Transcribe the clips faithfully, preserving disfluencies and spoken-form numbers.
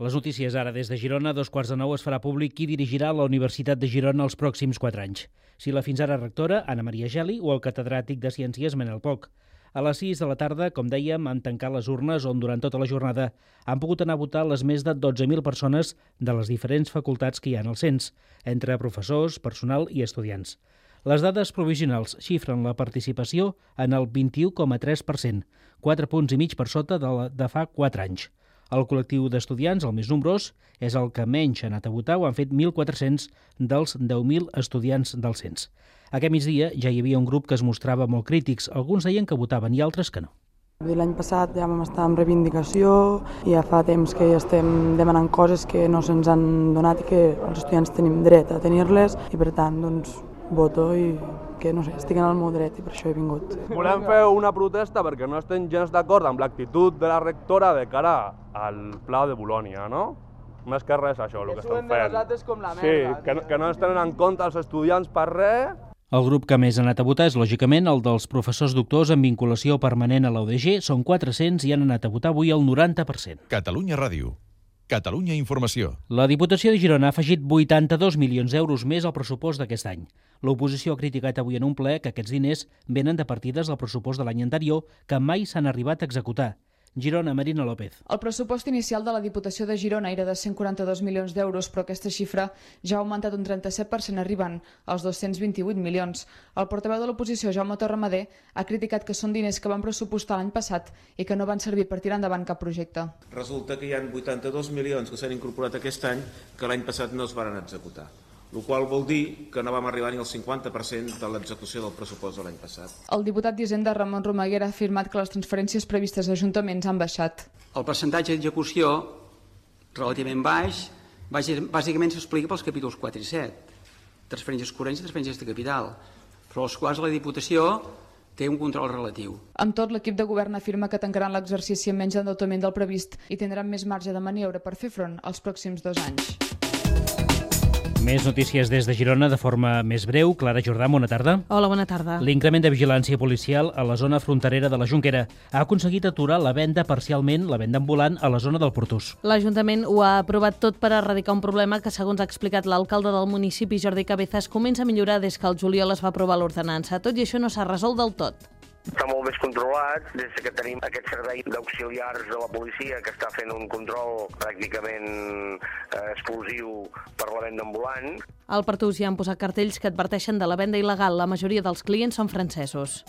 Les notícies ara des de Girona. A dos quarts de nou es farà públic qui dirigirà la Universitat de Girona els pròxims quatre anys. Si la fins ara rectora, Anna Maria Geli, o el catedràtic de Ciències, Manel Poch. A les sis de la tarda, com dèiem, han tancat les urnes on durant tota la jornada han pogut anar a votar les més de dotze mil persones de les diferents facultats que hi ha en el cens, entre professors, personal i estudiants. Les dades provisionals xifren la participació en el vint-i-u coma tres per cent, quatre punts i mig per sota de, la, de fa quatre anys. El col·lectiu d'estudiants, el més nombrós, és el que menys ha anat a votar, ho han fet mil quatre-cents dels deu mil estudiants del cens. Aquest migdia ja hi havia un grup que es mostrava molt crítics, alguns deien que votaven i altres que no. L'any passat ja vam estar en reivindicació i ja fa temps que ja estem demanant coses que no se'ns han donat i que els estudiants tenim dret a tenir-les i per tant doncs voto i que no sé, estic en el meu dret i per això he vingut. Volem fer una protesta perquè no estem gens d'acord amb l'actitud de la rectora de cara al pla de Bolonya, no? Més que res això, el que estem fent. Com la sí, que no, que no es tenen en compte els estudiants per res. El grup que més ha anat a votar és, lògicament, el dels professors doctors en vinculació permanent a la U D G. Són quatre-cents i han anat a votar avui el noranta per cent. Catalunya Ràdio. Catalunya Informació. La Diputació de Girona ha afegit vuitanta-dos milions d'euros més al pressupost d'aquest any. L'oposició ha criticat avui en un ple que aquests diners venen de partides del pressupost de l'any anterior que mai s'han arribat a executar. Girona, Marina López. El pressupost inicial de la Diputació de Girona era de cent quaranta-dos milions d'euros, però aquesta xifra ja ha augmentat un trenta-set per cent, arribant als dos-cents vint-i-vuit milions. El portaveu de l'oposició, Jaume Torramadé, ha criticat que són diners que van pressupostar l'any passat i que no van servir per tirar endavant cap projecte. Resulta que hi ha vuitanta-dos milions que s'han incorporat aquest any que l'any passat no es van executar, el qual vol dir que no vam arribar ni al cinquanta per cent de l'execució del pressupost de l'any passat. El diputat d'Hisenda, Ramon Romaguera, ha afirmat que les transferències previstes a ajuntaments han baixat. El percentatge d'execució, relativament baix, bàsicament s'explica pels capítols quatre i set, transferències corrents i transferències de capital, però els quals la Diputació té un control relatiu. Amb tot, l'equip de govern afirma que tancaran l'exercici amb menys endeutament del previst i tindran més marge de maniobra per fer front als pròxims dos anys. Més notícies des de Girona de forma més breu. Clara Jordà, bona tarda. Hola, bona tarda. L'increment de vigilància policial a la zona fronterera de la Jonquera ha aconseguit aturar la venda parcialment, la venda ambulant, a la zona del Portús. L'Ajuntament ho ha aprovat tot per erradicar un problema que, segons ha explicat l'alcalde del municipi, Jordi Cabezas, comença a millorar des que el juliol es va aprovar l'ordenança. Tot i això no s'ha resolt del tot. Està molt més controlat des que tenim aquest servei d'auxiliars de la policia que està fent un control pràcticament eh, exclusiu per la venda ambulant. Al Portús hi han posat cartells que adverteixen de la venda il·legal. La majoria dels clients són francesos.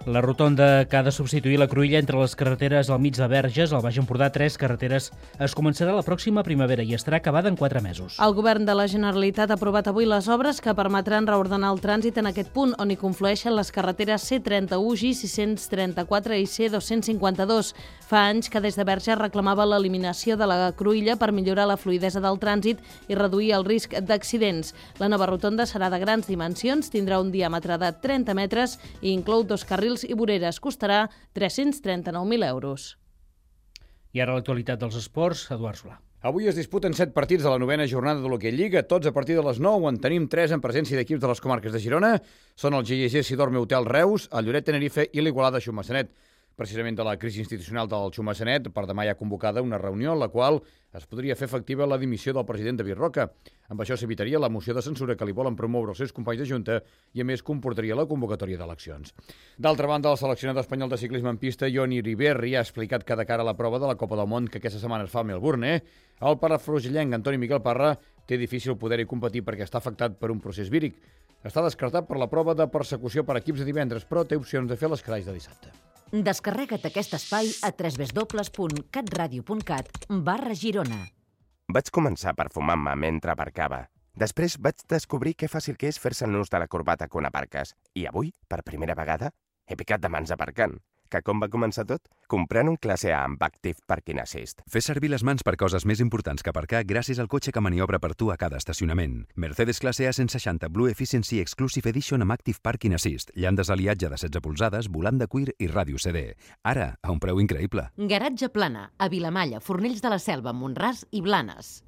La rotonda que ha de substituir la cruïlla entre les carreteres al mig de Verges, al Baix Empordà, tres carreteres, es començarà la pròxima primavera i estarà acabada en quatre mesos. El govern de la Generalitat ha aprovat avui les obres que permetran reordenar el trànsit en aquest punt, on hi conflueixen les carreteres C trenta-u, G sis-cents trenta-quatre i C dos-cents cinquanta-dos. Fa anys que des de Verges reclamava l'eliminació de la cruïlla per millorar la fluïdesa del trànsit i reduir el risc d'accidents. La nova rotonda serà de grans dimensions, tindrà un diàmetre de trenta metres i inclou dos carrils i voreres. Costarà tres-cents trenta-nou mil euros. I ara l'actualitat dels esports, Eduard Solà. Avui es disputen set partits de la novena jornada de l'Hoquei Lliga, tots a partir de les nou, en tenim tres en presència d'equips de les comarques de Girona. Són el G I G Sidorme Hotel Reus, el Lloret Tenerife i l'Igualada Xumassanet. Precisament de la crisi institucional del Xumassanet, per demà hi ha convocada una reunió en la qual es podria fer efectiva la dimissió del president David Roca. Amb això s'evitaria la moció de censura que li volen promoure els seus companys de Junta i, a més, comportaria la convocatòria d'eleccions. D'altra banda, el seleccionador espanyol de ciclisme en pista, Ioni Ribéry, ha explicat que de cara a la prova de la Copa del Món que aquesta setmana es fa a Melbourne, el palafrugellenc Antoni Miquel Parra té difícil poder-hi competir perquè està afectat per un procés víric. Està descartat per la prova de persecució per equips de divendres, però té opcions de fer l'escraix de dissabte. Descarrega't aquest espai a w w w punt catradio punt cat barra Girona. Vaig començar perfumant-me mentre aparcava. Després vaig descobrir que fàcil que és fer-se el nus de la corbata quan aparques. I avui, per primera vegada, he picat de mans aparcant. Que com va començar tot? Comprant un classe A amb Active Parking Assist. Fes servir les mans per coses més importants que aparcar gràcies al cotxe que maniobra per tu a cada estacionament. Mercedes classe A cent seixanta Blue Efficiency Exclusive Edition amb Active Parking Assist, llandes d'aliatge de setze polzades, volant de cuir i ràdio C D. Ara, a un preu increïble. Garatge Plana, a Vilamalla, Fornells de la Selva, Montràs i Blanes.